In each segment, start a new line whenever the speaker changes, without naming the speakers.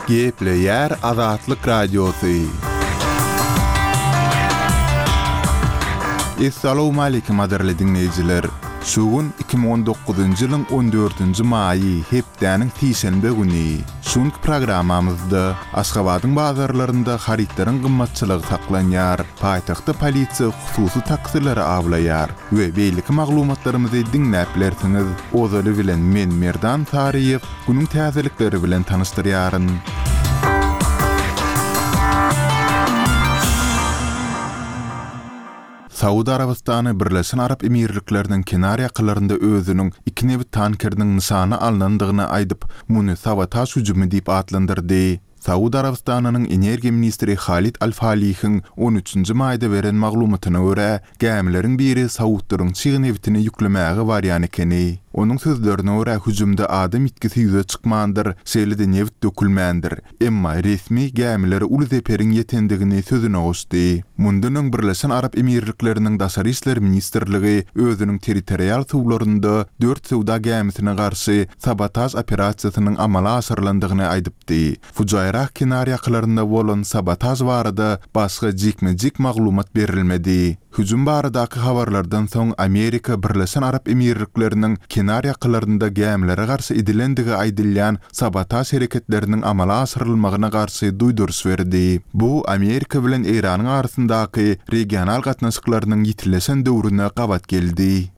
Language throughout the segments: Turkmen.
Gepleýär Azatlyk Radiosy. Essalawmaleýkim gadyrly diňleýjiler! Şu gün 2019-njy ýylyň on dördünji maýy, hepdäniň sişenbe güni. Şu günki programmamyzda Aşgabadyň bazarlarynda harytlaryň gymmatçylygy saklanýar, paýtagtda polisiýa hususy taksileri awlaýar we beýleki maglumatlarymyzy diňläp bilersiňiz. Ozaly bilen men Merdan Saryýew günüň täzelikleri bilen tanyşdyrýaryn. Saud Arabystany Birleşen Arap Emirlikleriniň kenar ýakalarynda özüniň iki nebit tankeriniň nyşana alnandygyny aýdyp, muny sabotaž hüjümi diýip atlandyrdy. Saud Arabystanynyň energiýa ministri Halid Al-Falihiň on üçünji maýda beren maglumatyna görä, gämileriň biri saudlaryň çig nebitini ýüklemäge barýan ekeni. Onuň sözlerine görä, hüjümde adam ýitgisi ýüze çykmandyr, şeýle-de nebit dökülmändir. Emma resmi gämilere uly zeperiň ýetendigini sözüne goşdy. Mundan öň Birleşen Arap Emirlikleriniň Daşary işler ministrligi özüniň territorial suwlarynda dört söwda gämisine garşy sabotaž operasiýasynyň amala aşyrylandygyny aýdypdy. Fujairah kenarýakalarynda bolan sabotaž barada başga jikme-jik maglumat berilmedi. Hüjüm baradaky habarlardan soň Amerika Birleşen Arap Emirlikleriniň kenar ýakalarynda gämilere garşy edilendigi aýdylýan sabotaž hereketleriniň amala aşyrylmagyna garşy duýduryş berdi. Bu Amerika bilen Eýranyň arasyndaky regional gatnaşyklarynyň ýitileşen döwrüne gabat geldi.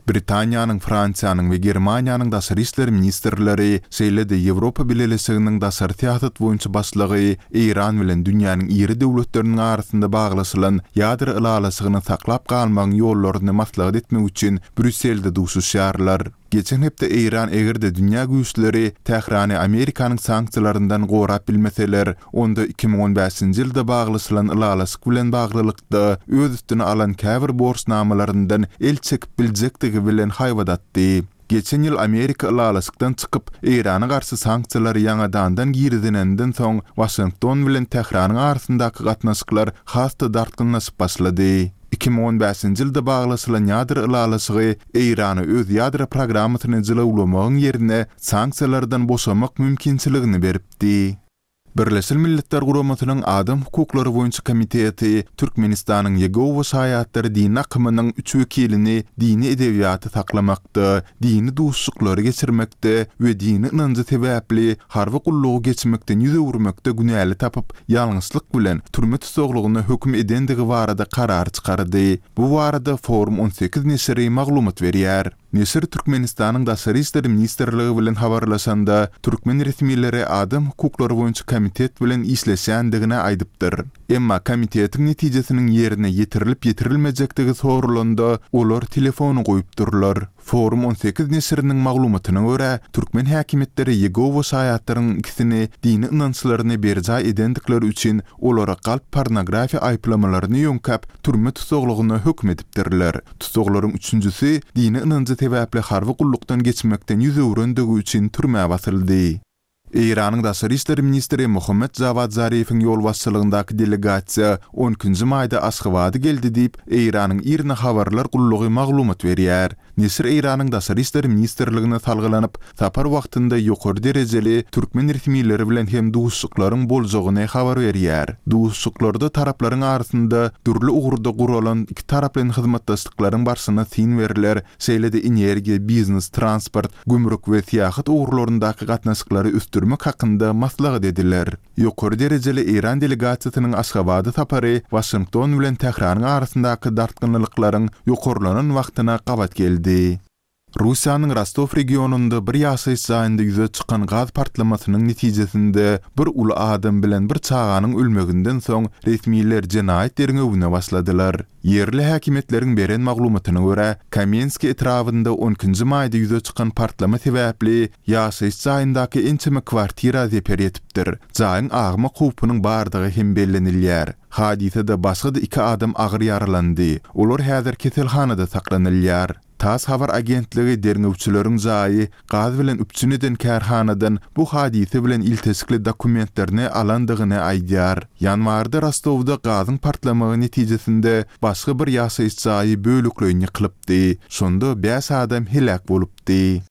Britaniýanyň, Fransiýanyň we Germaniýanyň daşary işler ministrleri, şeýle-de Ýewropa Bileleşiginiň daşary syýasat boýunça başlygy Eýran bilen dünýäniň iri döwletleriniň arasynda baglaşylan ýadro ylalaşygyny saklap galmagyň ýollaryny maslahat etmek üçin Brýusselde duşuşýarlar. Geçen hepde Eýran eger-de dünýä güýçleri Tährany Amerikanyň sanksiýalaryndan gorap bilmeseler, onda 2015-nji ýylda baglaşylan ylalaşyk bilen baglylykda öz üstüne alan käbir borçnamalaryndan el çekip biljekdigi bilen haýbat atdy. Geçen ýyl Amerika ylalaşykdan çykyp, Eýrana garşy sanksiýalary ýaňadandan girizeninden soň, Waşington bilen Tähranyň arasyndaky gatnaşyklar has-da dartgynlaşyp başlady. 2015-nji ýylda baglaşylan ýadro ylalaşygy Eýrana öz ýadro programmasyny jylawlamagyň ýerine sanksiýalardan boşamak mümkinçiligini beripdi. Birleşen Milletler Guramasynyň Adam hukuklary boýunça komiteti Türkmenistanyň Ýegowa şaýatlary dini akymynyň üç wekilini dini edebiýaty saklamakda, dini duşuşyklary geçirmekde we dini ynanjy sebäpli harby gullugy geçmekden ýüz öwürmekde günäli tapyp, ýalňyşlyk bilen türme tussaglygyna höküm edendigi barada karar çykardy. Bu barada Forum 18 neşiri maglumat berýär. Neşir Türkmenistanyň Daşary işler ministrligi bilen habarlaşanda, türkmen resmileri Adam hukuklary boýunça komitet bilen işleşýändigini aýdypdyr. Emma komitetiň netijesiniň ýerine ýetirilip-ýetirilmejekdigi soralanda, olar telefony goýupdyrlar. Forum 18 neşiriniň maglumatyna görä, türkmen häkimiýetleri Ýegowa şaýatlarynyň ikisini dini ynançlaryny berjaý edendikleri üçin olara galp pornografiýa aýyplamalaryny ýöňkäp, türme tussaglygyna höküm edipdirler. Tussaglaryň üçünjisi dini ynanjy sebäpli harby gullukdan geçmekden ýüz öwrendigi üçin türmä basyldy. Eýranyň daşary işler ministri Mohammed Jawad Zarifiň ýolbaşçylygyndaky delegasiýa on ikinji maýda Aşgabada geldi diýip, Eýranyň IRNA habarlar gullugy maglumat berýär. Neşir Eýranyň Daşary işler ministrligine salgylanyp, sapar wagtynda ýokary derejeli türkmen resmileri bilen hem duşuşyklaryň boljagyny habar berýär. Duşuşyklarda taraplaryň arasynda dürli ugurda guralan ikitaraplaýyn hyzmatdaşlyklaryň barşyna syn berler, şeýle-de energiýa, biznes, transport, gümrük we syýahat ugurlaryndaky gatnaşyklary ösdürmek hakynda maslahat ediler. Ýokary derejeli eýran delegasiýasynyň Aşgabada sapary Waşington bilen Tähranyň arasyndaky dartgynlylyklaryň ýokarlanan wagtyna gabat geldi. Russiýanyň Rostow regionynda bir ýaşaýyş jaýynda ýüze çykan gaz partlamasynyň netijesinde bir uly adam bilen bir çaganyň ölmeginden soň resmiler jenaýat derňewine başladylar. Ýerli häkimiýetleriň beren maglumatyna görä, Kamenskiý etrabynda on ikinji maýda ýüze çykan partlama sebäpli ýaşaýyş jaýyndaky ençeme kwartira zeper ýetipdir. Jaýyň agmak howpunyň bardygy hem bellenilýär. Hadysada başga-da iki adam agyr ýaralandy. Olar häzir keselhanada saklanylýar. Tass habar agentligi derňewçileriň jaýy gaz bilen üpjün eden kärhanadan bu hadysa bilen ilteşikli dokumentlerini alandygyny aýdýar. Ýanwarda Rostowda gazyň partlamagy netijesinde başga bir ýaşaýyş jaýy bölekleýin ýykylypdy. Şonda bäş adam heläk bolupdy.